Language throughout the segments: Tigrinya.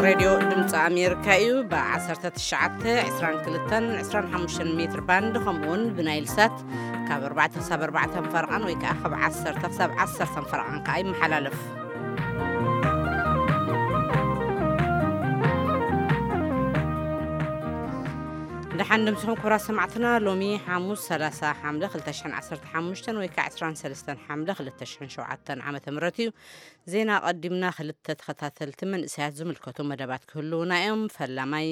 ሬድዮ ድምፂ ኣሜሪካ እዩ። ብ19፣ 22፣ 25 ሜትር ባንድ ከምኡውን ብናይል ሳት ካብ ኣርባዕተ ክሳብ ኣርባዕተ ፈረቓን ወይ ከዓ ካብ ዓሰርተ ክሳብ ዓሰርተ ፈረቓን ከዓ ይመሓላለፍ። ደሓን ድምስኹም ክቡራት ሰማዕትና። ሎሚ ሓሙስ ሰላሳ ሓምለ ክልተ ሽሕን ዓሰርተ ሓሙሽተን ወይ ከዓ ዕስራን ሰለስተን ሓምለ ክልተ ሽሕን ሸውዓተን ዓመተ ምህረት እዩ። ዜና ኣቐዲምና ክልተ ተኸታተልቲ መንእሰያት ዝምልከቱ መደባት ክህልዉና እዮም። ፈላማይ፣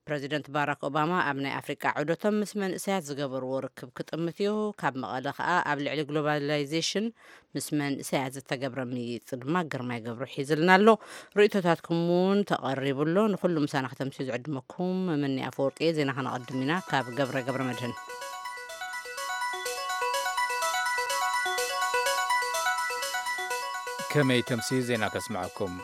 ፕረዚደንት ባራክ ኦባማ ኣብ ናይ ኣፍሪቃ ዑደቶም ምስ መንእሰያት ዝገበርዎ ርክብ ክጥምት እዩ። ካብ መቐለ ከኣ ኣብ ልዕሊ ግሎባላይዜሽን ምስ መንእሰያት ዝተገብረ ምይይጥ ድማ ግርማይ ገብሩ ሒዝልና ኣሎ። ርእይቶታትኩም እውን ተቐሪቡ ኣሎ። ንኹሉ ምሳና ከተምስዩ ዝዕድመኩም መመኒ ኣፈወርቂ እየ። ዜና ከነቐድም ኢና ካብ ገብረ ገብረ መድህን። ከመይ ተምሲ ዜና ከስምዐኩም።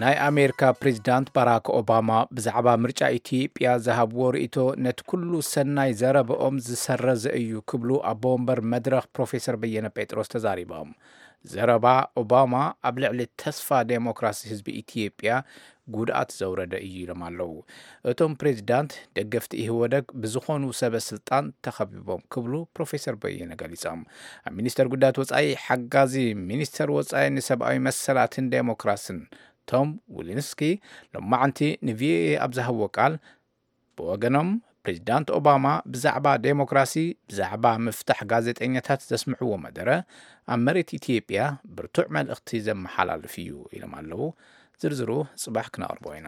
ናይ ኣሜሪካ ፕሬዚዳንት ባራክ ኦባማ ብዛዕባ ምርጫ ኢትዮጵያ ዝሃብዎ ርእይቶ ነቲ ኩሉ ሰናይ ዘረበኦም ዝሰረዘ እዩ ክብሉ ኣቦ ወንበር መድረኽ ፕሮፌሰር በየነ ጴጥሮስ ተዛሪቦም። ዘረባ ኦባማ ኣብ ልዕሊ ተስፋ ዴሞክራሲ ህዝቢ ኢትዮጵያ ጉድኣት ዘውረደ እዩ ኢሎም ኣለዉ። እቶም ፕሬዚዳንት ደገፍቲ ኢህወደግ ብዝኾኑ ሰበ ስልጣን ተኸቢቦም ክብሉ ፕሮፌሰር በየነ ገሊጾም። ኣብ ሚኒስተር ጉዳያት ወጻኢ ሓጋዚ ሚኒስተር ወጻኢ ንሰብኣዊ መሰላትን ዴሞክራስን ቶም ዊሊንስኪ ሎማዓንቲ ንቪኦኤ ኣብ ዝሃብዎ ቃል፣ ብወገኖም ፕሬዚዳንት ኦባማ ብዛዕባ ዴሞክራሲ፣ ብዛዕባ ምፍታሕ ጋዜጠኛታት ዘስምዕዎ መደረ ኣብ መሬት ኢትዮጵያ ብርቱዕ መልእኽቲ ዘመሓላልፍ እዩ ኢሎም ኣለዉ። ዝርዝሩ ጽባሕ ክነቕርቦ ኢና።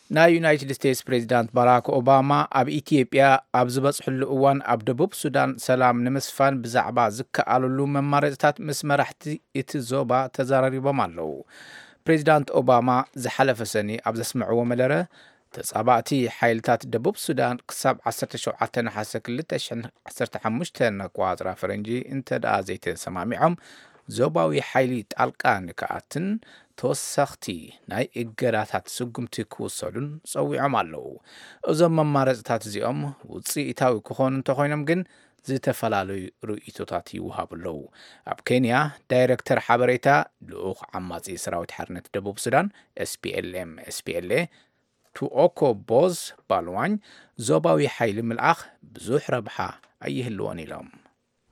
ናይ ዩናይትድ ስቴትስ ፕሬዚዳንት ባራክ ኦባማ ኣብ ኢትዮጵያ ኣብ ዝበጽሕሉ እዋን ኣብ ደቡብ ሱዳን ሰላም ንምስፋን ብዛዕባ ዝከኣለሉ መማረጽታት ምስ መራሕቲ እቲ ዞባ ተዛራሪቦም ኣለዉ። ፕሬዚዳንት ኦባማ ዝሓለፈ ሰኒ ኣብ ዘስምዕዎ መደረ፣ ተጻባእቲ ሓይልታት ደቡብ ሱዳን ክሳብ ዓሰርተ ሸውዓተ ነሓሰ ክልተ ሽሕን ዓሰርተ ሓሙሽተን ኣቆጻጽራ ፈረንጂ እንተ ደኣ ዘይተሰማሚዖም፣ ዞባዊ ሓይሊ ጣልቃ ንክኣትን ተወሰኽቲ ናይ እገዳታት ስጉምቲ ክውሰዱን ጸዊዖም ኣለዉ። እዞም መማረጽታት እዚኦም ውጽኢታዊ ክኾኑ እንተኾይኖም ግን ዝተፈላለዩ ርእይቶታት ይወሃቡ ኣለዉ። ኣብ ኬንያ ዳይረክተር ሓበሬታ ልኡኽ ዓማጺ ሰራዊት ሓርነት ደቡብ ሱዳን፣ ኤስፒኤልኤም፣ ኤስፒኤልኤ፣ ቱኦኮ ቦዝ ባልዋኝ፣ ዞባዊ ሓይሊ ምልኣኽ ብዙሕ ረብሓ ኣይህልዎን ኢሎም።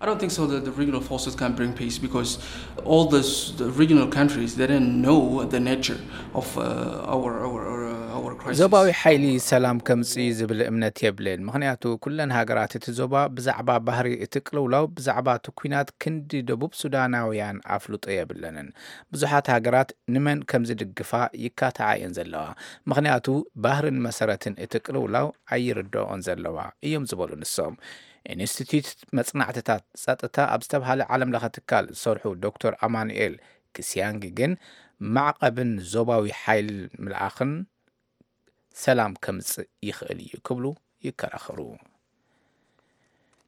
I don't think so that the regional forces can bring peace because all this, the regional countries, they didn't know the nature of uh, our, our, our, our crisis. ዞባዊ ሓይሊ ሰላም ከምጽእ ዝብል እምነት የብልን። ምኽንያቱ ኩለን ሃገራት እቲ ዞባ ብዛዕባ ባህሪ እቲ ቅልውላው፣ ብዛዕባ እቲ ኲናት ክንዲ ደቡብ ሱዳናውያን ኣፍልጦ የብለንን። ብዙሓት ሃገራት ንመን ከም ዝድግፋ ይካትዓ እየን ዘለዋ። ምኽንያቱ ባህርን መሰረትን እቲ ቅልውላው ኣይርድኦን ዘለዋ እዮም ዝበሉ ንሶም። ኢንስቲትዩት መጽናዕትታት ጸጥታ ኣብ ዝተብሃለ ዓለም ለኸ ትካል ዝሰርሑ ዶክተር ኣማኑኤል ክሲያንግ ግን ማዕቐብን ዞባዊ ሓይል ምልኣኽን ሰላም ከምጽእ ይኽእል እዩ ክብሉ ይከራኸሩ።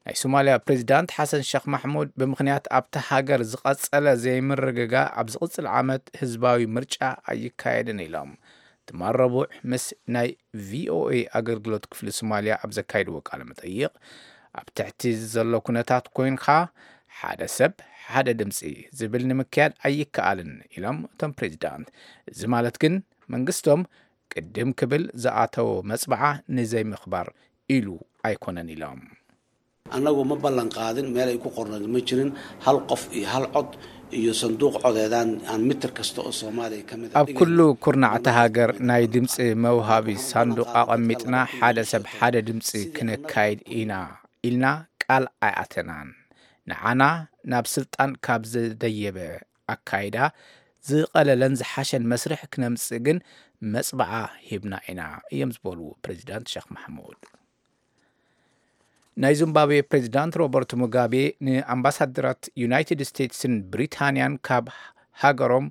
ናይ ሶማልያ ፕሬዚዳንት ሓሰን ሸኽ ማሕሙድ ብምኽንያት ኣብታ ሃገር ዝቐጸለ ዘይምርግጋእ ኣብ ዝቕጽል ዓመት ህዝባዊ ምርጫ ኣይካየድን ኢሎም። ትማል ረቡዕ ምስ ናይ ቪኦኤ ኣገልግሎት ክፍሊ ሶማልያ ኣብ ዘካየድዎ ቃለ መጠይቕ፣ ኣብ ትሕቲ ዘሎ ኩነታት ኮይንካ ሓደ ሰብ ሓደ ድምፂ ዝብል ንምክያድ ኣይከኣልን ኢሎም እቶም ፕሬዚዳንት። እዚ ማለት ግን መንግስቶም ቅድም ክብል ዝኣተዎ መፅብዓ ንዘይምኽባር ኢሉ ኣይኮነን ኢሎም። Annagu ma ballan qaadin meel ay ku qornayd ma jirin hal qof iyo hal cod iyo sanduuq codeedaan aan mitir kasta oo Soomaaliya ka mid ah. ኣብ ኩሉ ኩርናዕቲ ሃገር ናይ ድምፂ መውሃቢ ሳንዱቕ ኣቐሚጥና ሓደ ሰብ ሓደ ድምፂ ክነካይድ ኢና ኢልና ቃል ኣይኣተናን። ንዓና ናብ ስልጣን ካብ ዝደየበ ኣካይዳ ዝቐለለን ዝሓሸን መስርሕ ክነምፅእ ግን መፅብዓ ሂብና ኢና እዮም ዝበሉ ፕሬዚዳንት ሸኽ ማሕሙድ። ናይ ዚምባብዌ ፕሬዚዳንት ሮበርት ሙጋቤ ንኣምባሳደራት ዩናይትድ ስቴትስን ብሪታንያን ካብ ሃገሮም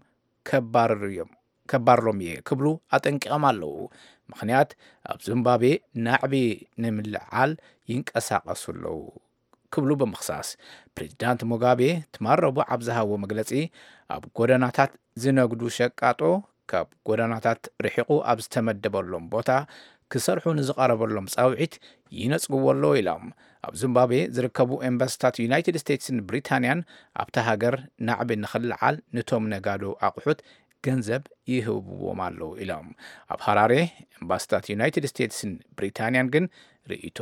ከባርርሎም እየ ክብሉ ኣጠንቂቖም ኣለዉ። ምኽንያት ኣብ ዚምባብዌ ናዕቢ ንምልዓል ይንቀሳቐሱ ኣለዉ ክብሉ ብምኽሳስ፣ ፕሬዚዳንት ሙጋቤ ትማል ረቡዕ ኣብ ዝሃብዎ መግለጺ፣ ኣብ ጎደናታት ዝነግዱ ሸቃጦ ካብ ጎደናታት ርሒቑ ኣብ ዝተመደበሎም ቦታ ክሰርሑ ንዝቐረበሎም ጻውዒት ይነጽግዎ ኣለዉ ኢሎም። ኣብ ዚምባብዌ ዝርከቡ ኤምባሲታት ዩናይትድ ስቴትስን ብሪታንያን ኣብታ ሃገር ናዕቢ ንኽልዓል ንቶም ነጋዶ ኣቑሑት ገንዘብ ይህብዎም ኣለዉ ኢሎም። ኣብ ሃራሬ ኤምባሲታት ዩናይትድ ስቴትስን ብሪታንያን ግን ርእይቶ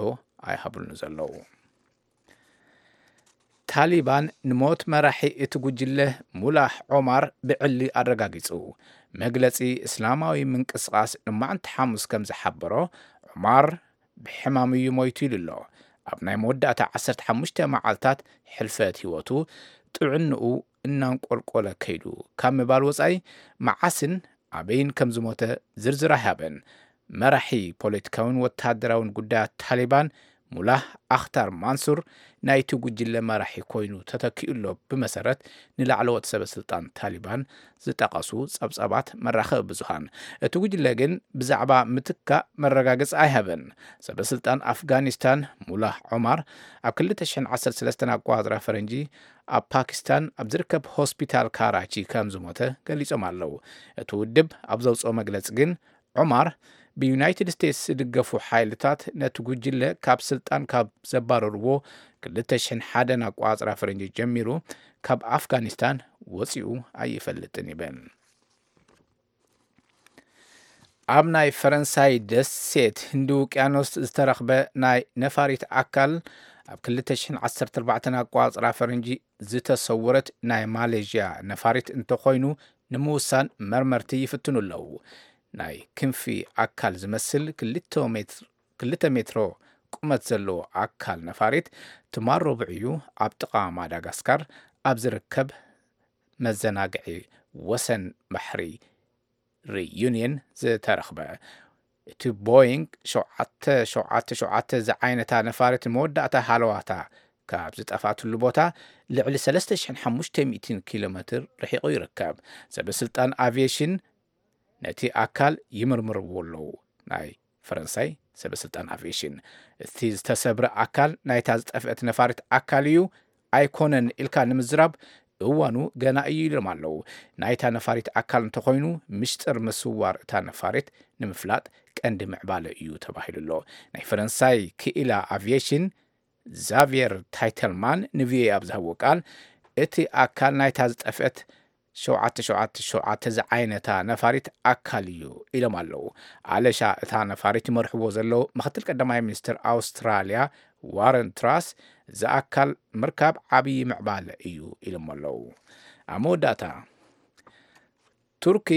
ኣይሃብሉን ዘለዉ። ታሊባን ንሞት መራሒ እቲ ጉጅለ ሙላህ ዖማር ብዕሊ ኣረጋጊጹ። መግለጺ እስላማዊ ምንቅስቓስ ንማዕንቲ ሓሙስ ከም ዝሓበሮ፣ ዖማር ብሕማም እዩ ሞይቱ ኢሉ ኣሎ። ኣብ ናይ መወዳእታ ዓሰርተ ሓሙሽተ መዓልታት ሕልፈት ህይወቱ ጥዕንኡ እናንቆልቆለ ከይዱ ካብ ምባል ወጻኢ፣ መዓስን ኣበይን ከም ዝሞተ ዝርዝር ኣይሃበን። መራሒ ፖለቲካውን ወተሃደራውን ጉዳያት ታሊባን ሙላህ ኣኽታር ማንሱር ናይቲ ጉጅለ መራሒ ኮይኑ ተተኪኡ ኣሎ፣ ብመሰረት ንላዕለዎት ሰበ ስልጣን ታሊባን ዝጠቐሱ ጸብጻባት መራኸቢ ብዙሃን። እቲ ጉጅለ ግን ብዛዕባ ምትካእ መረጋገጺ ኣይሃበን። ሰበ ስልጣን ኣፍጋኒስታን ሙላህ ዖማር ኣብ ክልተ ሽሕን ዓሰርተ ሰለስተን ኣቆጻጽራ ፈረንጂ ኣብ ፓኪስታን ኣብ ዝርከብ ሆስፒታል ካራቺ ከም ዝሞተ ገሊጾም ኣለዉ። እቲ ውድብ ኣብ ዘውጽኦ መግለጺ ግን፣ ዑማር ብዩናይትድ ስቴትስ ዝድገፉ ሓይልታት ነቲ ጉጅለ ካብ ስልጣን ካብ ዘባረርዎ ክልተ ሽሕን ሓደን ኣቋጽራ ፈረንጂ ጀሚሩ ካብ ኣፍጋኒስታን ወጺኡ ኣይፈልጥን ይብል። ኣብ ናይ ፈረንሳይ ደሴት ህንዲ ውቅያኖስ ዝተረኽበ ናይ ነፋሪት ኣካል፣ ኣብ ክልተ ሽሕን ዓሰርተ ኣርባዕተን ኣቋጽራ ፈረንጂ ዝተሰወረት ናይ ማሌዥያ ነፋሪት እንተኾይኑ፣ ንምውሳን መርመርቲ ይፍትኑ ኣለዉ። ናይ ክንፊ ኣካል ዝመስል ክልተ ሜትሮ ቁመት ዘለዎ ኣካል ነፋሪት ትማል ረቡዕ እዩ ኣብ ጥቓ ማዳጋስካር ኣብ ዝርከብ መዘናግዒ ወሰን ባሕሪ ሪዩኒየን ዝተረኽበ። እቲ ቦይንግ ሸውዓተ ሸውዓተ ሸውዓተ ዝዓይነታ ነፋሪት መወዳእታ ሃለዋታ ካብ ዝጠፋትሉ ቦታ ልዕሊ ሰለስተ ሽሕን ሓሙሽተ ሚእትን ኪሎ ሜትር ርሒቑ ይርከብ። ሰበ ስልጣን ኣቪዬሽን ነቲ ኣካል ይምርምርዎ ኣለዉ። ናይ ፈረንሳይ ሰበ ስልጣን ኣቪዬሽን፣ እቲ ዝተሰብረ ኣካል ናይታ ዝጠፍአት ነፋሪት ኣካል እዩ ኣይኮነን ኢልካ ንምዝራብ እዋኑ ገና እዩ ኢሎም ኣለዉ። ናይታ ነፋሪት ኣካል እንተኾይኑ፣ ምሽጥር ምስዋር እታ ነፋሪት ንምፍላጥ ቀንዲ ምዕባለ እዩ ተባሂሉ ኣሎ። ናይ ፈረንሳይ ክኢላ ኣቪዬሽን ዛቪየር ታይተልማን ንቪኦኤ ኣብ ዝሃብዎ ቃል፣ እቲ ኣካል ናይታ ዝጠፍአት ሸውዓተ ሸውዓተ ሸውዓተ ዝዓይነታ ነፋሪት ኣካል እዩ ኢሎም ኣለዉ። ኣለሻ እታ ነፋሪት ይመርሕዎ ዘለዉ ምክትል ቀዳማይ ሚኒስትር ኣውስትራልያ ዋረን ትራስ፣ እዚ ኣካል ምርካብ ዓብዪ ምዕባለ እዩ ኢሎም ኣለዉ። ኣብ መወዳእታ፣ ቱርኪ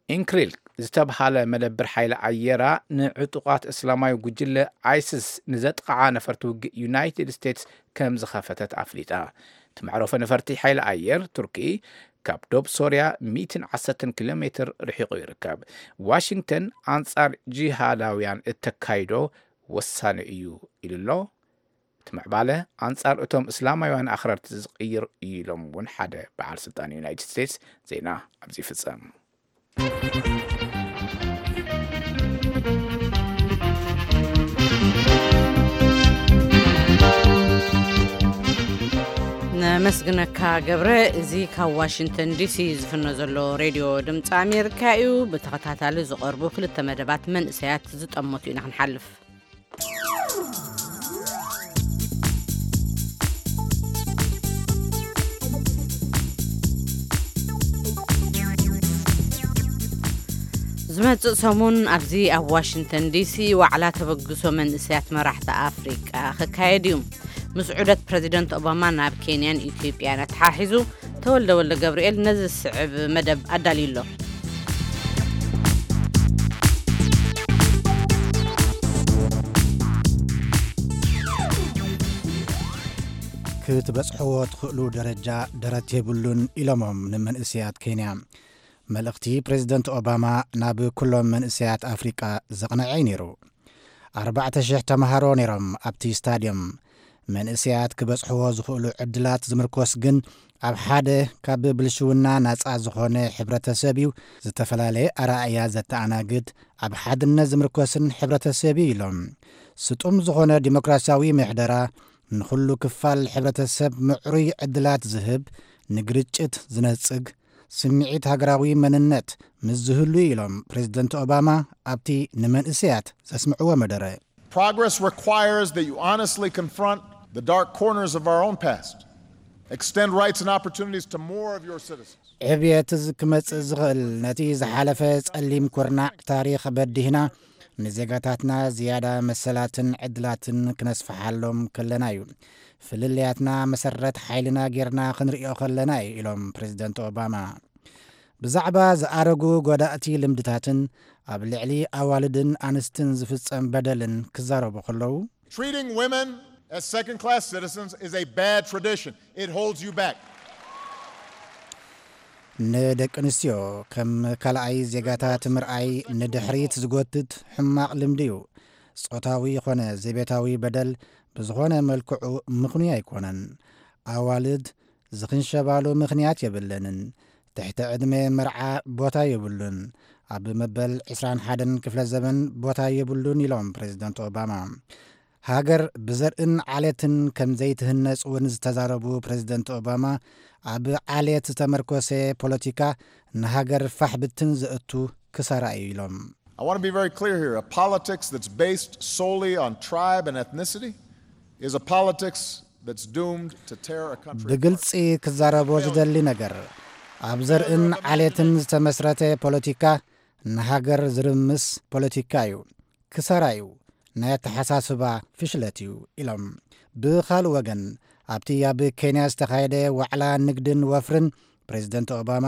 ኢንክሪል ዝተብሃለ መደብር ሓይሊ ኣየራ ንዕጡቓት እስላማዊ ጉጅለ ኣይስስ ንዘጥቕዓ ነፈርቲ ውግእ ዩናይትድ ስቴትስ ከም ዝኸፈተት ኣፍሊጣ። እቲ መዕረፎ ነፈርቲ ሓይሊ ኣየር ቱርኪ ካብ ዶብ ሶርያ ሚእትን ዓሰርተን ኪሎ ሜትር ርሒቑ ይርከብ። ዋሽንግተን ኣንጻር ጂሃዳውያን እተካይዶ ወሳኒ እዩ ኢሉ ኣሎ። እቲ ምዕባለ ኣንጻር እቶም እስላማውያን ኣኽረርቲ ዝቕይር እዩ ኢሎም እውን ሓደ በዓል ስልጣን ዩናይትድ ስቴትስ። ዜና ኣብዚ ይፍጸም። ነመስግነካ ገብረ። እዚ ካብ ዋሽንግተን ዲሲ ዝፍኖ ዘሎ ሬድዮ ድምፂ ኣሜሪካ እዩ። ብተኸታታሊ ዝቐርቡ ክልተ መደባት መንእሰያት ዝጠመቱ ኢና ክንሓልፍ። ዝመጽእ ሰሙን ኣብዚ ኣብ ዋሽንግተን ዲሲ ዋዕላ ተበግሶ መንእሰያት መራሕቲ ኣፍሪቃ ክካየድ እዩ። ምስ ዑደት ፕረዚደንት ኦባማ ናብ ኬንያን ኢትዮጵያን ኣተሓሒዙ፣ ተወልደ ወልደ ገብርኤል ነዚ ዝስዕብ መደብ ኣዳልዩ ኣሎ። ክትበጽሕዎ ትኽእሉ ደረጃ ደረት የብሉን ኢሎሞም ንመንእሰያት ኬንያ። መልእኽቲ ፕሬዚደንት ኦባማ ናብ ኩሎም መንእሰያት ኣፍሪቃ ዘቕነዐ እዩ ነይሩ። ኣርባዕተ ሽሕ ተምሃሮ ነይሮም ኣብቲ ስታድዮም። መንእሰያት ክበጽሕዎ ዝኽእሉ ዕድላት ዝምርኮስ ግን ኣብ ሓደ ካብ ብልሽውና ናጻ ዝኾነ ሕብረተሰብ እዩ። ዝተፈላለየ ኣረኣእያ ዘተኣናግድ፣ ኣብ ሓድነት ዝምርኮስን ሕብረተሰብ እዩ ኢሎም። ስጡም ዝኾነ ዲሞክራሲያዊ ምሕደራ ንኹሉ ክፋል ሕብረተሰብ ምዕሩይ ዕድላት ዝህብ፣ ንግርጭት ዝነጽግ፣ ስምዒት ሃገራዊ መንነት ምስ ዝህሉ ኢሎም ፕሬዚደንት ኦባማ ኣብቲ ንመንእሰያት ዘስምዕዎ መደረ። Progress requires that you honestly confront the dark corners of our own past Extend rights and opportunities to more of your citizens. ዕብየት ዝ- ክመጽእ ዝኽእል ነቲ ዝሓለፈ ጸሊም ኩርናዕ ታሪኽ በዲህና ንዜጋታትና ዝያዳ መሰላትን ዕድላትን ክነስፍሓሎም ከለና እዩ። ፍልልያትና መሰረት ሓይልና ጌርና ክንርእዮ ከለና እዩ ኢሎም ፕሬዝደንት ኦባማ። ብዛዕባ ዝኣረጉ ጎዳእቲ ልምድታትን ኣብ ልዕሊ ኣዋልድን ኣንስትን ዝፍጸም በደልን ክዛረቡ ከለዉ Treating women as second class citizens is a bad tradition. It holds you back. ንደቂ ኣንስትዮ ከም ካልኣይ ዜጋታት ምርኣይ ንድሕሪት ዝጎትት ሕማቕ ልምዲ እዩ። ጾታዊ ይኾነ ዘቤታዊ በደል ብዝኾነ መልክዑ ምኽኑይ ኣይኮነን። ኣዋልድ ዝኽንሸባሉ ምኽንያት የብለንን። ትሕቲ ዕድመ መርዓ ቦታ የብሉን። ኣብ መበል ዕስራን ሓደን ክፍለ ዘመን ቦታ የብሉን ኢሎም ፕሬዝደንት ኦባማ። ሃገር ብዘርእን ዓሌትን ከም ዘይትህነጽ እውን ዝተዛረቡ ፕሬዝደንት ኦባማ ኣብ ዓሌት ዝተመርኮሰ ፖለቲካ ንሃገር ፋሕ ብትን ዘእቱ ክሳራ እዩ ኢሎም። I want to be very clear here. A politics that's based solely on tribe and ethnicity is a politics that's doomed to tear a country apart. ብግልጺ ክዛረቦ ዝደሊ ነገር ኣብ ዘርእን ዓሌትን ዝተመስረተ ፖለቲካ ንሃገር ዝርምስ ፖለቲካ እዩ። ክሳራ እዩ። ናይ ኣተሓሳስባ ፍሽለት እዩ ኢሎም። ብኻልእ ወገን ኣብቲ ኣብ ኬንያ ዝተኻየደ ዋዕላ ንግድን ወፍርን ፕሬዝደንት ኦባማ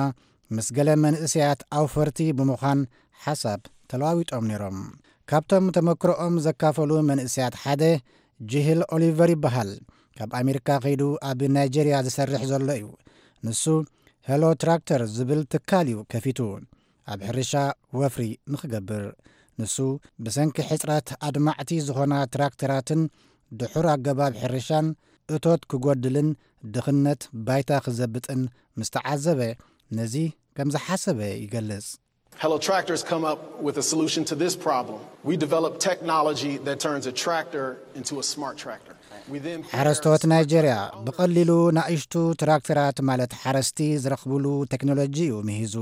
ምስ ገለ መንእሰያት ኣውፈርቲ ብምዃን ሓሳብ ተለዋዊጦም ነይሮም። ካብቶም ተመክሮኦም ዘካፈሉ መንእሰያት ሓደ ጅሂል ኦሊቨር ይበሃል። ካብ ኣሜሪካ ከይዱ ኣብ ናይጄርያ ዝሰርሕ ዘሎ እዩ። ንሱ ሄሎ ትራክተር ዝብል ትካል እዩ ከፊቱ። ኣብ ሕርሻ ወፍሪ ንኽገብር። ንሱ ብሰንኪ ሕጽረት ኣድማዕቲ ዝኾና ትራክተራትን ድሑር ኣገባብ ሕርሻን እቶት ክጎድልን ድኽነት ባይታ ክዘብጥን ምስ ተዓዘበ ነዚ ከም ዝሓሰበ ይገልጽ። Hello Tractors come up with a solution to this problem. We develop technology that turns a tractor into a smart tractor. We then pair ሓረስቶት ናይጄርያ ብቐሊሉ ናእሽቱ ትራክተራት ማለት ሓረስቲ ዝረኽብሉ ቴክኖሎጂ እዩ ምሂዙ።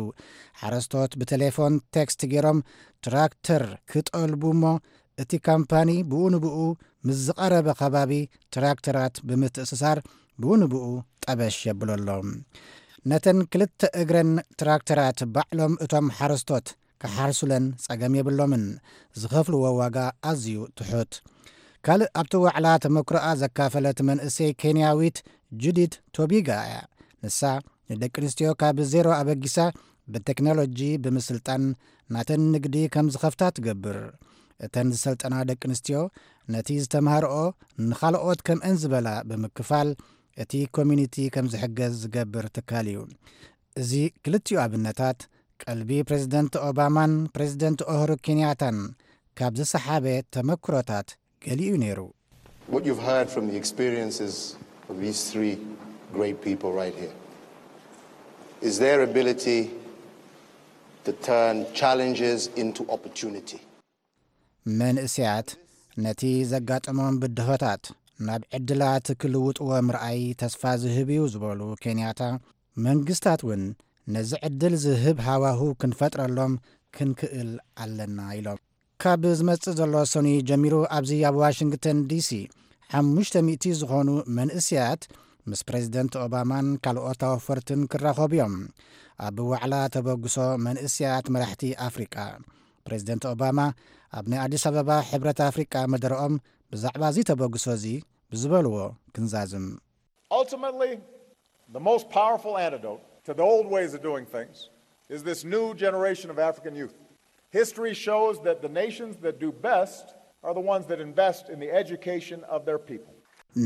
ሓረስቶት ብቴሌፎን ቴክስት ገይሮም ትራክተር ክጠልቡ እሞ እቲ ካምፓኒ ብኡ ንብኡ ምስ ዝቐረበ ከባቢ ትራክተራት ብምትእስሳር ብኡ ንብኡ ጠበሽ የብለሎም። ነተን ክልተ እግረን ትራክተራት ባዕሎም እቶም ሓረስቶት ክሓርሱለን ጸገም የብሎምን። ዝኸፍልዎ ዋጋ ኣዝዩ ትሑት። ካልእ ኣብቲ ዋዕላ ተመክሮኣ ዘካፈለት መንእሰይ ኬንያዊት ጁዲት ቶቢጋ እያ። ንሳ ንደቂ ኣንስትዮ ካብ ዜሮ ኣበጊሳ ብቴክኖሎጂ ብምስልጣን ናተን ንግዲ ከም ዝኸፍታ ትገብር። እተን ዝሰልጠና ደቂ ኣንስትዮ ነቲ ዝተምሃርኦ ንኻልኦት ከምአን ዝበላ ብምክፋል እቲ ኮሚኒቲ ከም ዝሕገዝ ዝገብር ትካል እዩ። እዚ ክልቲኡ ኣብነታት ቀልቢ ፕሬዝደንት ኦባማን ፕሬዝደንት ኦሁሩ ኬንያታን ካብ ዝሰሓበ ተመክሮታት ገሊኡ ነይሩ። What you've heard from the experiences of these three great people right here is their ability to turn challenges into opportunity. መንእሰያት ነቲ ዘጋጠሞም ብድሆታት ናብ ዕድላት ክልውጥዎ ምርኣይ ተስፋ ዝህብ እዩ ዝበሉ ኬንያታ፣ መንግስታት እውን ነዚ ዕድል ዝህብ ሃዋሁ ክንፈጥረሎም ክንክእል ኣለና ኢሎም። ካብ ዝመጽእ ዘሎ ሰኑይ ጀሚሩ ኣብዚ ኣብ ዋሽንግተን ዲሲ ሓሙሽተ ሚእቲ ዝኾኑ መንእስያት ምስ ፕሬዚደንት ኦባማን ካልኦት ኣወፈርትን ክራኸቡ እዮም። ኣብ ዋዕላ ተበግሶ መንእስያት መራሕቲ ኣፍሪቃ፣ ፕሬዚደንት ኦባማ ኣብ ናይ ኣዲስ ኣበባ ሕብረት ኣፍሪቃ መደረኦም ብዛዕባ እዚ ተበግሶ እዚ ብዝበልዎ ክንዛዝም። Ultimately, the most powerful antidote to the old ways of doing things is this new generation of African youth. History shows that the nations that do best are the ones that invest in the education of their people.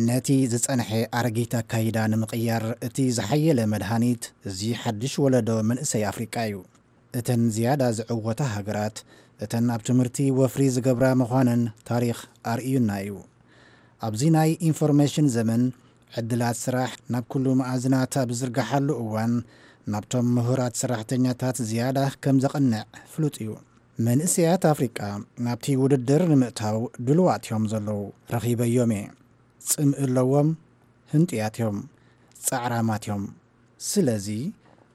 ነቲ ዝጸንሐ ኣረጊት ኣካይዳ ንምቕያር እቲ ዝሓየለ መድሃኒት እዚ ሓድሽ ወለዶ መንእሰይ ኣፍሪቃ እዩ። እተን ዝያዳ ዝዕወታ ሃገራት እተን ኣብ ትምህርቲ ወፍሪ ዝገብራ ምዃነን ታሪኽ ኣርእዩና እዩ። ኣብዚ ናይ ኢንፎርሜሽን ዘመን ዕድላት ስራሕ ናብ ኩሉ መኣዝናት ኣብ ዝርግሓሉ እዋን ናብቶም ምሁራት ሰራሕተኛታት ዝያዳ ከም ዘቕንዕ ፍሉጥ እዩ። መንእሰያት ኣፍሪቃ ናብቲ ውድድር ንምእታው ድልዋት እዮም ዘለዉ። ረኺበዮም እየ። ጽምኢ ኣለዎም፣ ህንጡያት እዮም፣ ጻዕራማት እዮም። ስለዚ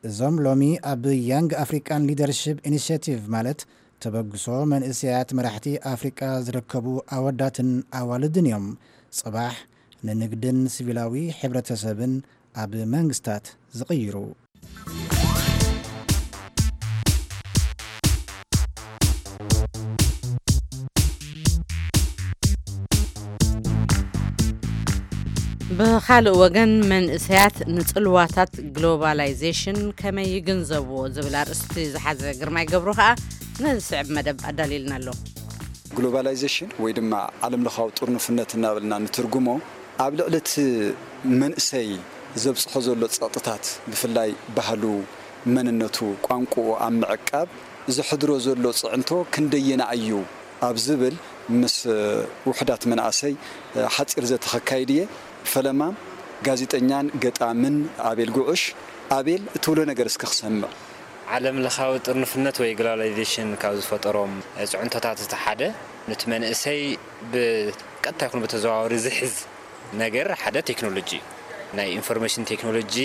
እዞም ሎሚ ኣብ ያንግ ኣፍሪካን ሊደርሺፕ ኢኒሽቲቭ ማለት ተበግሶ መንእሰያት መራሕቲ ኣፍሪቃ ዝርከቡ ኣወዳትን ኣዋልድን እዮም። ጽባሕ ንንግድን ሲቪላዊ ሕብረተሰብን ኣብ መንግስታት ዝቕይሩ። ብኻልእ ወገን፣ መንእሰያት ንጽልዋታት ግሎባላይዜሽን ከመይ ይግንዘብዎ ዝብል ኣርእስቲ ዝሓዘ ግርማይ ገብሩ ከኣ ነዚ ስዕብ መደብ ኣዳልዩልና ኣሎ። ግሎባላይዜሽን ወይ ድማ ዓለም ለኻዊ ጥርኑፍነት እናበልና ንትርጉሞ፣ ኣብ ልዕሊ እቲ መንእሰይ ዘብፅሖ ዘሎ ፀቕጥታት፣ ብፍላይ ባህሉ፣ መንነቱ፣ ቋንቋኡ ኣብ ምዕቃብ ዘሕድሮ ዘሎ ፅዕንቶ ክንደየናይ እዩ ኣብ ዝብል ምስ ውሑዳት መናእሰይ ሓፂር ዘተ ከካይድ እየ። ፈለማ ጋዜጠኛን ገጣምን ኣቤል ጉዑሽ። ኣቤል፣ እትብሎ ነገር እስከ ክሰምዕ። ዓለም ለኻዊ ጥርንፍነት ወይ ግሎባላይዜሽን ካብ ዝፈጠሮም ፅዕንቶታት እቲ ሓደ፣ ነቲ መንእሰይ ብቀጥታ ይኹን ብተዘዋወሪ ዝሕዝ ነገር ሓደ ቴክኖሎጂ እዩ። ናይ ኢንፎርሜሽን ቴክኖሎጂ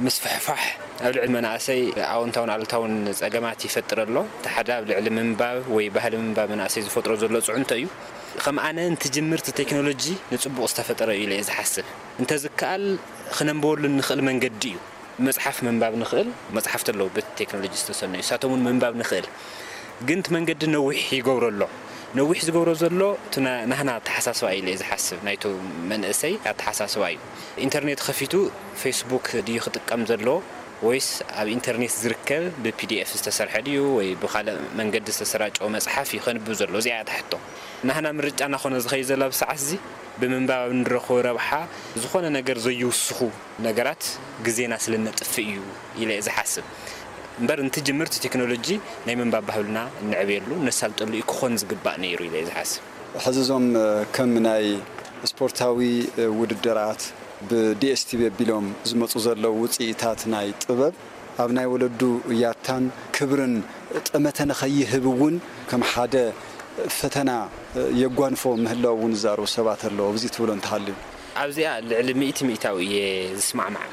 ምስፍሕፋሕ ኣብ ልዕሊ መናእሰይ ኣወንታውን ኣሉታውን ፀገማት ይፈጥር ኣሎ። እቲ ሓደ ኣብ ልዕሊ ምንባብ ወይ ባህሊ ምንባብ መናእሰይ ዝፈጥሮ ዘሎ ፅዕንቶ እዩ። ከም ኣነ እንትጅምር እቲ ቴክኖሎጂ ንፅቡቕ ዝተፈጠረ እዩ ኢለ እየ ዝሓስብ። እንተዝከኣል ክነንብበሉ እንኽእል መንገዲ እዩ። መፅሓፍ ምንባብ ንኽእል፣ መፅሓፍቲ ኣለዉ በቲ ቴክኖሎጂ ዝተሰነዩ፣ ንሳቶም እውን ምንባብ ንኽእል። ግን እቲ መንገዲ ነዊሕ ይገብሮ ኣሎ። ነዊሕ ዝገብሮ ዘሎ እቲ ና- ናህና ኣተሓሳስባ እዩ ኢለ እየ ዝሓስብ፣ ናይቶ መንእሰይ ኣተሓሳስባ እዩ። ኢንተርኔት ከፊቱ ፌስቡክ ድዩ ክጥቀም ዘለዎ ወይስ ኣብ ኢንተርኔት ዝርከብ ብፒዲኤፍ ዝተሰርሐ ድዩ ወይ ብኻልእ መንገዲ ዝተሰራጨወ መፅሓፍ እዩ ከንብብ ዘለዎ? እዚኣ እያ እታ ሕቶ። ናህና ምርጫ እናኾነ ዝኸይድ ዘሎ ኣብዚ ሰዓት እዚ ብምንባብ ኣብ እንረኽቦ ረብሓ ዝኾነ ነገር ዘይውስኹ ነገራት ግዜና ስለ እነጥፍእ እዩ ኢለ እየ ዝሓስብ። እምበር እንትጅምር እቲ ቴክኖሎጂ ናይ ምንባብ ባህልና እነዕብየሉ እነሳልጠሉ እዩ ክኾን ዝግባእ ነይሩ ኢለ እየ ዝሓስብ። ሕዚ እዞም ከም ናይ ስፖርታዊ ውድድራት ብዲኤስቲቪ ኣቢሎም ዝመፁ ዘለዉ ውፅኢታት ናይ ጥበብ ኣብ ናይ ወለዱ ያታን ክብርን ጠመተ ንኸይህብ እውን ከም ሓደ ፈተና የጓንፎ ምህላው እውን ዝዛረቡ ሰባት ኣለዉ። ኣብዚ ትብሎ እንተሃልዩ? ኣብዚኣ ልዕሊ ሚእቲ ሚእታዊ እየ ዝስማዕማዕ።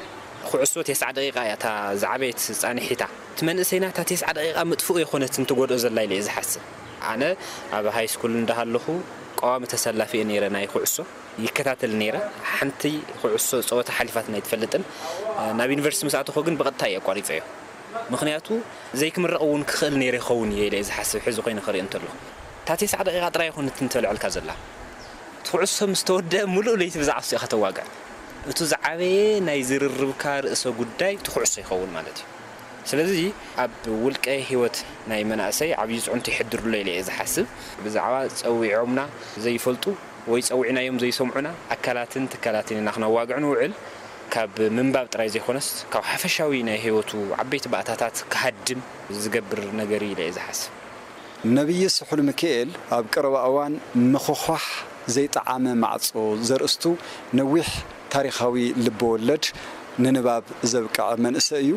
ኩዕሶ ተስዓ ደቂቃ እያ እታ ዝዓበየት ፃንሒታ። እቲ መንእሰይና እታ ተስዓ ደቂቃ ምጥፍኡ የኾነትን ትጎድኦ ዘላ ኢለ እየ ዝሓስብ። ኣነ ኣብ ሃይስኩል እንዳሃለኹ ቀዋሚ ተሰላፊ እየ ነይረ ናይ ኩዕሶ። ይከታተል ነይረ። ሓንቲ ኩዕሶ ፀወታ ሓሊፋትና ኣይትፈልጥን። ናብ ዩኒቨርሲቲ ምስ ኣተኹ ግን ብቐጥታ እየ ኣቋሪፀዮ። ምኽንያቱ ዘይክምረቕ እውን ክኽእል ነይረ ይኸውን እየ ኢለ እየ ዝሓስብ፣ ሕዚ ኮይነ ክርኢ እንተለኹ። እታ ተስዓ ደቂቓ ጥራይ ኣይኮነትን ተልዐልካ ዘላ። እቲ ኩዕሶ ምስ ተወደአ ምሉእ ለይቲ ብዛዕባ እሱ ኢኻ ተዋግዕ። እቱ ዝዓበየ ናይ ዝርርብካ ርእሰ ጉዳይ እቲ ኩዕሶ ይኸውን ማለት እዩ። ስለዚ ኣብ ውልቀ ህይወት ናይ መናእሰይ ዓብዪ ፅዕንቶ ይሕድር ኣሎ ኢለ እየ ዝሓስብ። ብዛዕባ ፀዊዖምና ዘይፈልጡ ወይ ፀዊዕናዮም ዘይሰምዑና ኣካላትን ትካላትን ኢና ክነዋግዕ ንውዕል። ካብ ምንባብ ጥራይ ዘይኮነስ ካብ ሓፈሻዊ ናይ ህይወቱ ዓበይቲ ባእታታት ክሃድም ዝገብር ነገር እዩ ኢለ እየ ዝሓስብ። ነብዪ ስሑል ሚካኤል ኣብ ቀረባ እዋን ምኹዃሕ ዘይጠዓመ ማዕጾ ዘርእስቱ ነዊሕ ታሪኻዊ ልበወለድ ንንባብ ዘብቅዐ መንእሰይ እዩ።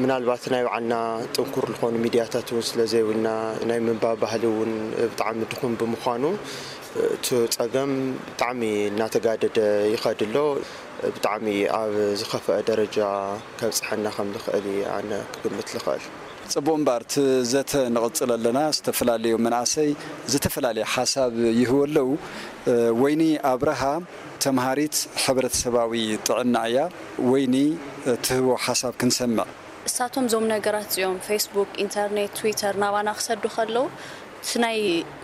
ምናልባት ናይ ባዕልና ጥንኩር ዝኾኑ ሚድያታት እውን ስለ ዘይብልና ናይ ምንባብ ባህሊ እውን ብጣዕሚ ድኹም ብምዃኑ እቲ ፀገም ብጣዕሚ እናተጋደደ ይኸድ ኣሎ። ብጣዕሚ ኣብ ዝኸፍአ ደረጃ ከብፅሐና ከም ዝኽእል እዩ ኣነ ክግምት ዝኽእል። ፅቡቕ እምበር እቲ ዘተ ንቕፅል ኣለና። ዝተፈላለዩ መናእሰይ ዝተፈላለየ ሓሳብ ይህቡ ኣለዉ። ወይኒ ኣብርሃ ተምሃሪት ሕብረተሰባዊ ጥዕና እያ። ወይኒ ትህቦ ሓሳብ ክንሰምዕ። እሳቶም እዞም ነገራት እዚኦም ፌስቡክ፣ ኢንተርኔት፣ ትዊተር ናባና ክሰዱ ከለዉ እቲ ናይ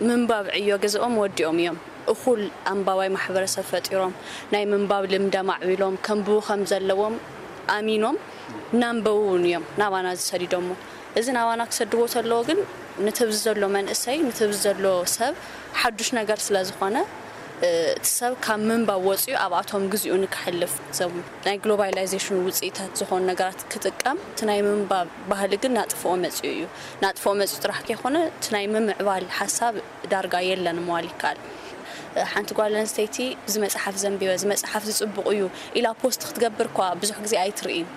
ምንባብ ዕዮ ገዝኦም ወዲኦም እዮም። እኹል ኣንባባይ ማሕበረሰብ ፈጢሮም ናይ ምንባብ ልምዲ ኣማዕቢሎም ከንብቡ ከም ዘለዎም ኣሚኖም እናንበቡ እውን እዮም ናባና ዝሰዲዶሞ። እዚ ናባና ክሰድዎ ተለዎ ግን ነቲ ኣብዚ ዘሎ መንእሰይ ነቲ ኣብዚ ዘሎ ሰብ ሓዱሽ ነገር ስለ ዝኾነ እቲ ሰብ ካብ ምንባብ ወፂኡ ኣብኣቶም ግዚኡ ንክሕልፍ እዞም ናይ ግሎባላይዜሽን ውፅኢታት ዝኾኑ ነገራት ክጥቀም እቲ ናይ ምንባብ ባህሊ ግን ናጥፍኦ መፂኡ እዩ። ናጥፍኦ መፂኡ ጥራሕ ከይኮነ እቲ ናይ ምምዕባል ሓሳብ ዳርጋ የለን ምባል ይከኣል። ሓንቲ ጓል ኣንስተይቲ እዚ መፅሓፍ ዘንቢበ እዚ መፅሓፍ እዚ ፅቡቕ እዩ ኢላ ፖስት ክትገብር እኳ ብዙሕ ግዜ ኣይትርእይን።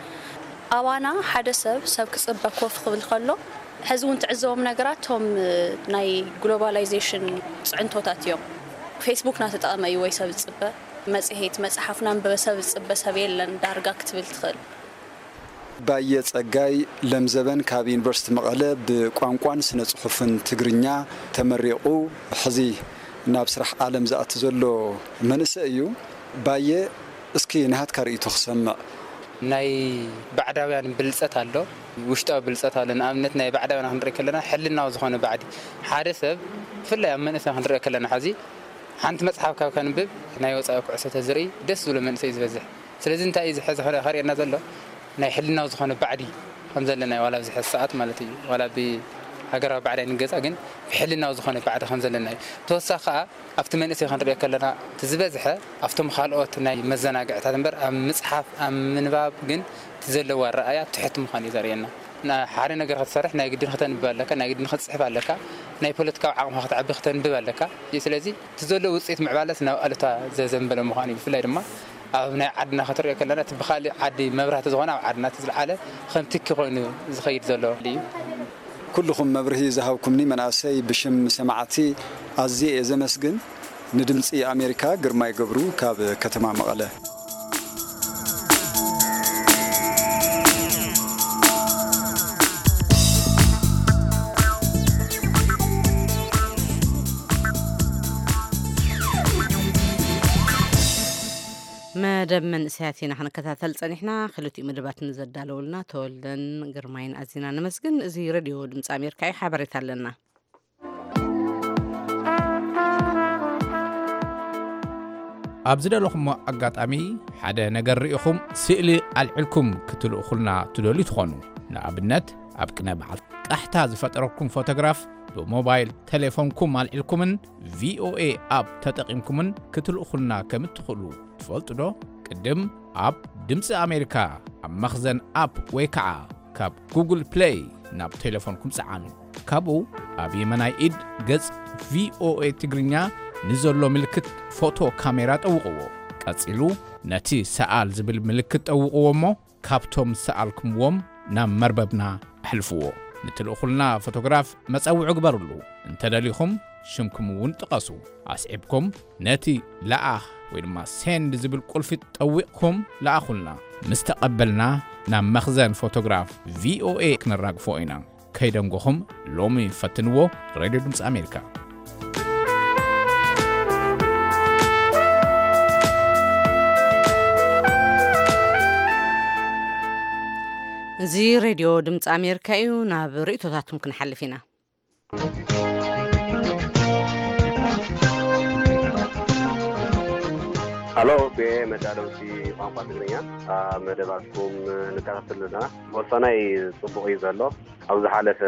ኣባና ሓደ ሰብ ሰብ ክፅበ ኮፍ ክብል ከሎ ሕዚ እውን ትዕዘቦም ነገራት እቶም ናይ ግሎባላይዜሽን ፅዕንቶታት እዮም። ፌስቡክ እናተጠቐመ እዩ ወይ ሰብ ዝፅበ፣ መፅሄት መፅሓፍ እናንበበ ሰብ ዝፅበ ሰብ የለን ዳርጋ ክትብል ትኽእል። ባየ ጸጋይ ለምዘበን ካብ ዩኒቨርሲቲ መቐለ ብቋንቋን ስነ ጽሑፍን ትግርኛ ተመሪቑ ሕዚ ናብ ስራሕ ዓለም ዝኣቱ ዘሎ መንእሰይ እዩ። ባየ፣ እስኪ ናሃትካ ርእይቶ ክሰምዕ። ናይ ባዕዳውያን ብልፀት ኣሎ፣ ውሽጣዊ ብልፀት ኣሎ። ንኣብነት ናይ ባዕዳውያን ክንርኢ ከለና ሕልናዊ ዝኾነ ባዕዲ፣ ሓደ ሰብ ብፍላይ ኣብ መንእሰይ ክንርኢ ከለና፣ ሕዚ ሓንቲ መፅሓፍ ካብ ከንብብ ናይ ወፃኢ ኩዕሶ ተዝርኢ ደስ ዝብሎ መንእሰይ እዩ ዝበዝሕ። ስለዚ እንታይ እዩ ዝሐ- ዝኸ- ከርእየና ዘሎ? ናይ ሕልናዊ ዝኾነ ባዕዲ ከም ዘለና እዩ፣ ዋላ ኣብዚ ሕዚ ሰዓት ማለት እዩ። ዋላ ብሃገራዊ ባዕዲ ኣይንገዛ፣ ግን ብሕልናዊ ዝኾነ ባዕዲ ከም ዘለና እዩ። ተወሳኺ ከዓ ኣብቲ መንእሰይ ክንሪኦ ከለና፣ እቲ ዝበዝሐ ኣብቶም ካልኦት ናይ መዘናግዕታት እምበር ኣብ ምፅሓፍ ኣብ ምንባብ ግን እቲ ዘለዎ ኣረኣያ ትሕቲ ምዃኑ እዩ ዘርእየና። ሓደ ነገር ክትሰርሕ ናይ ግድን ክተንብብ ኣለካ፣ ናይ ግድን ክትፅሕፍ ኣለካ፣ ናይ ፖለቲካዊ ዓቕምኻ ክተዕቢ ክተንብብ ኣለካ። ስለዚ እቲ ዘሎ ውፅኢት ምዕባለስ ናብ ኣሉታ ዘዘንበለ ምዃኑ እዩ። ብፍላይ ድማ ኣብ ናይ ዓድና ክትሪኦ ከለና፣ እቲ ብካሊእ ዓዲ መብራህቲ ዝኾነ ኣብ ዓድና እቲ ዝለዓለ ከም ትኪ ኮይኑ ዝኸይድ ዘሎ እዩ። ኩልኹም መብርሂ ዝሃብኩምኒ መናእሰይ ብሽም ሰማዕቲ ኣዝየ እየ ዘመስግን። ንድምፂ ኣሜሪካ ግርማይ ገብሩ ካብ ከተማ መቐለ። መደብ መንእሰያት ኢና ክንከታተል ጸኒሕና። ክልቲኡ መደባት ንዘዳለውልና ተወልደን ግርማይን ኣዚና ነመስግን። እዚ ሬድዮ ድምፂ ኣሜሪካ እዩ። ሓበሬታ ኣለና። ኣብ ዝደለኹሞ ኣጋጣሚ ሓደ ነገር ርኢኹም ስእሊ ኣልዕልኩም ክትልእኹልና ትደልዩ ትኾኑ። ንኣብነት ኣብ ቅነ በዓል ቃሕታ ዝፈጠረኩም ፎቶግራፍ ብሞባይል ቴሌፎንኩም ኣልዒልኩምን ቪኦኤ ኣፕ ተጠቒምኩምን ክትልእኹልና ከም እትኽእሉ ትፈልጡ ዶ? ቅድም ኣብ ድምፂ ኣሜሪካ ኣብ መኽዘን ኣፕ ወይ ከዓ ካብ ጉግል ፕሌይ ናብ ቴሌፎንኩም ፀዓኑ። ካብኡ ኣብ የመናይ ኢድ ገፅ ቪኦኤ ትግርኛ ንዘሎ ምልክት ፎቶ ካሜራ ጠውቕዎ። ቀፂሉ ነቲ ሰኣል ዝብል ምልክት ጠውቕዎ እሞ ካብቶም ዝሰኣልኩምዎም ናብ መርበብና ኣሕልፍዎ። ንትልእኹልና ፎቶግራፍ መጸውዒ ግበርሉ። እንተደሊኹም ሽምኩም እውን ጥቐሱ። ኣስዒብኩም ነቲ ለኣኽ ወይ ድማ ሴንድ ዝብል ቁልፊ ጠዊቕኩም ለኣኹልና። ምስ ተቐበልና ናብ መኽዘን ፎቶግራፍ ቪኦኤ ክነራግፎ ኢና። ከይደንጎኹም ሎሚ ፈትንዎ። ሬድዮ ድምፂ ኣሜሪካ። እዚ ሬድዮ ድምፂ ኣሜሪካ እዩ። ናብ ርእቶታትኩም ክንሓልፍ ኢና። ሃሎ፣ ብኤ መዳለውቲ ቋንቋ ትግርኛ፣ ኣብ መደባትኩም ንከታተል ኣለና። ወሳናይ ጽቡቕ እዩ ዘሎ። ኣብ ዝሓለፈ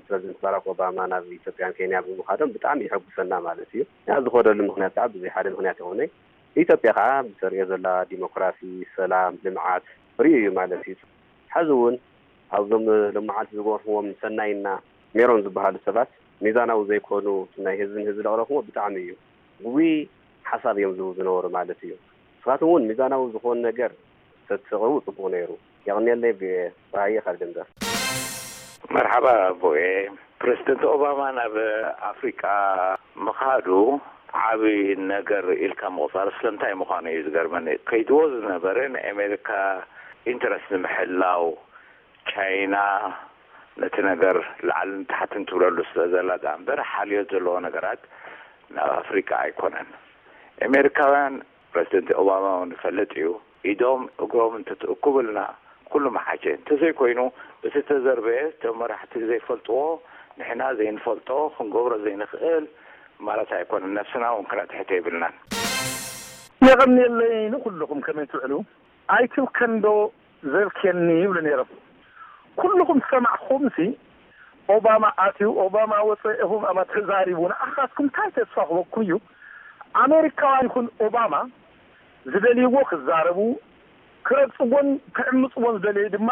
ፕረዚደንት ባራክ ኦባማ ናብ ኢትዮጵያን ኬንያ ብምኻዶም ብጣዕሚ የሐጉሰና ማለት እዩ። ያ ዝኸደሉ ምኽንያት ከዓ ብዘይ ሓደ ምኽንያት ይኾነይ። ኢትዮጵያ ከዓ ብተርእዮ ዘላ ዲሞክራሲ፣ ሰላም፣ ልምዓት ርእዩ እዩ ማለት እዩ። ሕዚ እውን ኣብዞም ሎመዓልቲ ዝገርፍዎም ሰናይና ሜሮን ዝበሃሉ ሰባት ሚዛናዊ ዘይኮኑ ናይ ህዝብን ህዝቢ ለቕረፍዎ ብጣዕሚ እዩ። ግጉይ ሓሳብ እዮም ዝህቡ ዝነበሩ ማለት እዩ። ንስኻትኩም እውን ሚዛናዊ ዝኾን ነገር ተትቕርቡ ጽቡቕ ነይሩ። የቕንየለይ። ብራየ ካብ ደንበር። መርሓባ ቮኤ። ፕረዚደንት ኦባማ ናብ ኣፍሪቃ ምኻዱ ዓቢ ነገር ኢልካ ምቑጻር ስለምንታይ ምዃኑ እዩ ዝገርመኒ። ከይድዎ ዝነበረ ንኣሜሪካ ኢንተረስት ንምሕላው ቻይና ነቲ ነገር ላዕልን ታሕትን ትብለሉ ስለ ዘላ ደኣ እምበር ሓልዮት ዘለዎ ነገራት ናብ ኣፍሪቃ ኣይኮነን። ኣሜሪካውያን ፕረዚደንት ኦባማ እውን ይፈልጥ እዩ። ኢዶም እግሮም እንተትእኩብልና ኩሉ መሓሸ። እንተዘይኮይኑ እቲ ተዘርበየ እቶም መራሕቲ ዘይፈልጥዎ ንሕና ዘይንፈልጦ ክንገብሮ ዘይንኽእል ማለት ኣይኮነን። ነብስና እውን ክነጥሕቶ የብልናን። የቐንየለይ ንኹልኹም ከመይ ትውዕሉ? ኣይትብከንዶ ዘብክየኒ ይብሉ ነይሮም። ኩልኹም ዝሰማዕኹምሲ ኦባማ ኣትዩ፣ ኦባማ ወፀ፣ ኦባማ ተዛሪቡ። ንኣኻትኩም እንታይ ተስፋ ክበኩም እዩ? ኣሜሪካውያን ይኹን ኦባማ ዝደልይዎ ክዛረቡ፣ ክረግፅዎን ክዕምፅዎን ዝደለዩ ድማ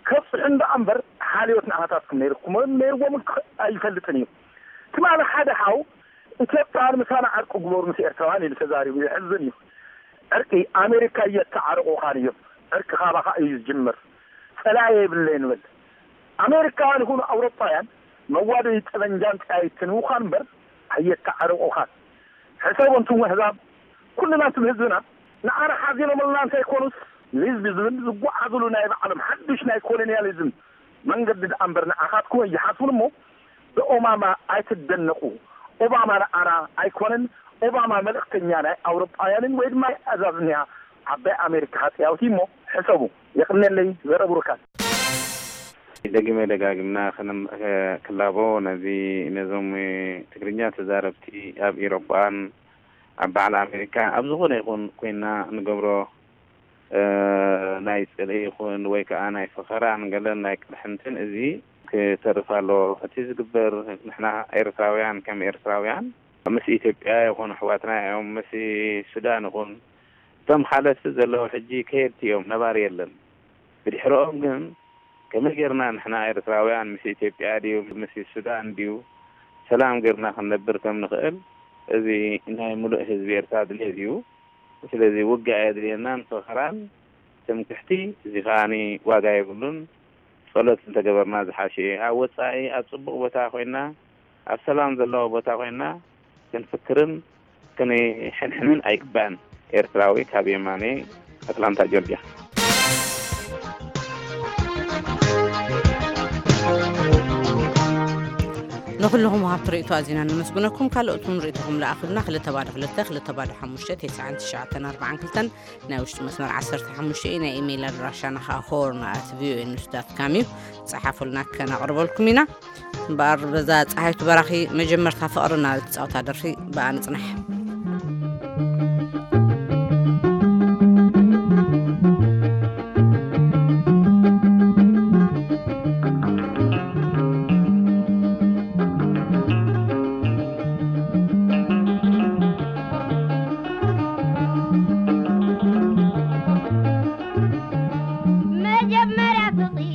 ከብፅሑ እንዳ እምበር ሓልዮት ንኣኻታትኩም ነይርኩም ነይርዎም ኣይፈልጥን እዩ። ትማሊ ሓደ ሓው ኢትዮጵያውያን ምሳና ዕርቂ ግበሩ ምስ ኤርትራውያን ኢሉ ተዛሪቡ። የሕዝን እዩ። ዕርቂ ኣሜሪካ እየተዓረቑኻን እዮም። ዕርቂ ካባኻ እዩ ዝጅምር። ጸላኢ የብለይ ንበል። ኣሜሪካውያን ይኹኑ ኣውሮጳውያን መዋደዲ ጠበንጃን ጠያይትን ምዃን እምበር ኣየተዓረቑኻን። ሕሰቡ ኣንቱም ኣህዛብ፣ ኩልና ኣንቱም ህዝብና ንዓና ሓዚኖምልና እንተይኮኑስ ንህዝቢ ዝብል ዝጓዓዙሉ ናይ ባዕሎም ሓዱሽ ናይ ኮሎንያሊዝም መንገዲ ደኣ እምበር ንዓኻትኩም ኣይሓስቡን እሞ ብኦባማ ኣይትደነቑ። ኦባማ ንዓና ኣይኮነን፣ ኦባማ መልእኽተኛ ናይ ኣውሮጳውያንን ወይ ድማ ኣዛዝንያ ዓባይ ኣሜሪካ ሃጸያውቲ እሞ ሕሰቡ። የቕንየለይ። ዘረ ብሩካት። ደጊመ ደጋግምና ክነም-፣ ክላቦ ነዚ፣ ነዞም ትግርኛ ተዛረብቲ ኣብ ኤውሮጳን ኣብ በዓል ኣሜሪካ ኣብ ዝኾነ ይኹን ኮይና ንገብሮ፣ እ፣ ናይ ጽልኢ ይኹን ወይ ከኣ ናይ ፈኸራን ገለን ናይ ቅርሕንትን እዚ ክተርፍ ኣለዎ። እቲ ዝግበር ንሕና ኤርትራውያን ከም ኤርትራውያን ምስ ኢትዮጵያ ይኹን ኣሕዋትና እዮም፣ ምስ ሱዳን ይኹን እቶም ሓለፍቲ ዘለዉ ሕጂ ከየድቲ እዮም፣ ነባሪ የለን። ብድሕረኦም ግን ከመይ ጌርና ንሕና ኤርትራውያን ምስ ኢትዮጵያ ድዩ ምስ ሱዳን ድዩ ሰላም ጌርና ክንነብር ከም ንኽእል፣ እዚ ናይ ምሉእ ህዝቢ ኤርትራ ድሌት እዩ። ስለዚ ውግእ ኣየድልየናን ፈኸራን ትምክሕቲ፣ እዚ ከኣኒ ዋጋ የብሉን። ጸሎት እንተገበርና ዝሓሸ እዩ። ኣብ ወጻኢ ኣብ ጽቡቕ ቦታ ኮይና፣ ኣብ ሰላም ዘለዎ ቦታ ኮይና ክንፍክርን ክንሕንሕንን ኣይግባእን። ኤርትራዊ ካብ የማኔ ኣትላንታ ጆርጅያ። ንኹልኹም ወሃብቲ ርእይቶ ኣዚና ነመስግነኩም። ካልኦት እውን ርእይቶኹም ለኣኹልና። ክልተ ባዶ ክልተ፣ ክልተ ባዶ ሓሙሽተ፣ ተስዓን ትሽዓተን ኣርባዓን ክልተን ናይ ውሽጢ መስመር ዓሰርተ ሓሙሽተ እዩ። ናይ ኢሜይል ኣድራሻና ኸዓ ሆርን ኣት ቪኦኤ ኒውስ ዳት ካም እዩ። ጸሓፉልና፣ ከነቕርበልኩም ኢና። እምበኣር በዛ ጸሃይቱ በራኺ መጀመርታ ፍቕርና ዝትጻወታ ደርፊ ብኣ ንጽናሕ። መጀመርያ ፍቕሪ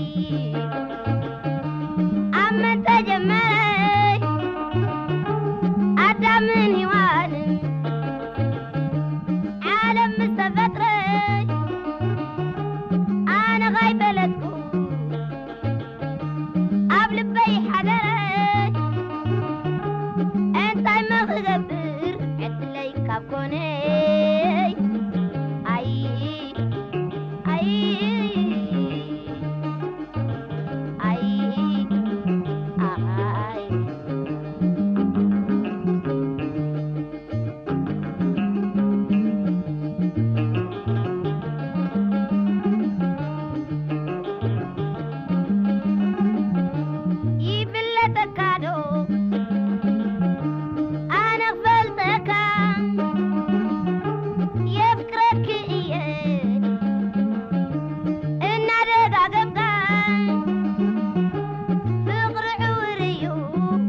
ኣብ መን ተጀመረ? ኣዳምን ሄዋንን ዓለም ምስ ተፈጥረ ኣነ ኸይፈለጥኩ ኣብ ልበይ ሓደረ። እንታይ መ ክገብር ዕድለይ ካብ ኮነይ? ኣይ፣ ኣይ፣ ኣይ፣ ኣይ። ይፍለጠካ ዶ ኣነ ክፈልጠካ? የፍቅረኪ እየ እናደጋገምካ። ፍቕሪ ዕውር እዩ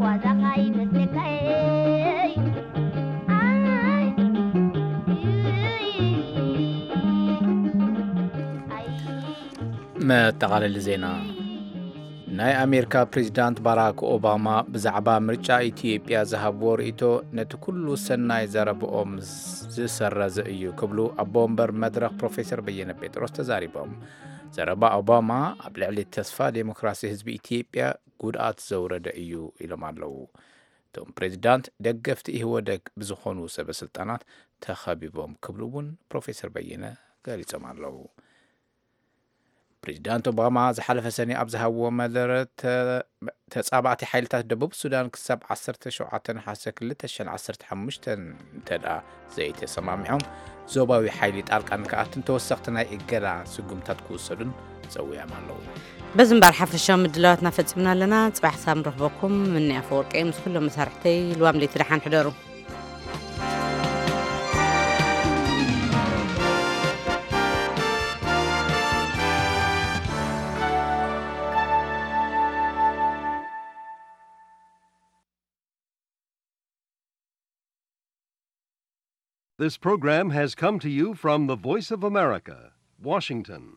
ዋዛኻ ይመስለካይ። ኣይ፣ ኣይ፣ ኣይ። መጠቓለሊ ዜና። ናይ ኣሜሪካ ፕሬዚዳንት ባራክ ኦባማ ብዛዕባ ምርጫ ኢትዮጵያ ዝሃብዎ ርእይቶ ነቲ ኩሉ ሰናይ ዘረብኦም ዝሰረዘ እዩ ክብሉ ኣቦ ወንበር መድረኽ ፕሮፌሰር በየነ ጴጥሮስ ተዛሪቦም። ዘረባ ኦባማ ኣብ ልዕሊ ተስፋ ዴሞክራሲ ህዝቢ ኢትዮጵያ ጉድኣት ዘውረደ እዩ ኢሎም ኣለዉ። እቶም ፕሬዚዳንት ደገፍቲ ኢህወደግ ብዝኾኑ ሰበ ስልጣናት ተኸቢቦም ክብሉ እውን ፕሮፌሰር በየነ ገሊጾም ኣለዉ። ፕሬዚዳንት ኦባማ ዝሓለፈ ሰኔ ኣብ ዝሃብዎ መደረ ተ-፣ ተጻባእቲ ሓይልታት ደቡብ ሱዳን ክሳብ ዓሰርተ ሸውዓተ ነሓሰ ክልተ ሽሕን ዓሰርተ ሓሙሽተን እንተ ደኣ ዘይተሰማሚዖም፣ ዞባዊ ሓይሊ ጣልቃ ንክኣትን ተወሰኽቲ ናይ እገዳ ስጉምታት ክውሰዱን ጸዊዖም ኣለዉ። በዚ እምበኣር ሓፈሻዊ ምድላዋትና ፈጺምና ኣለና። ጽባሕ ሳም ረኽበኩም። ምኒ ኣፈወርቂ ምስ ኩሎም መሳርሕተይ ልዋም ለይቲ ደሓን ሕደሩ። This program has come to you from the Voice of America, Washington.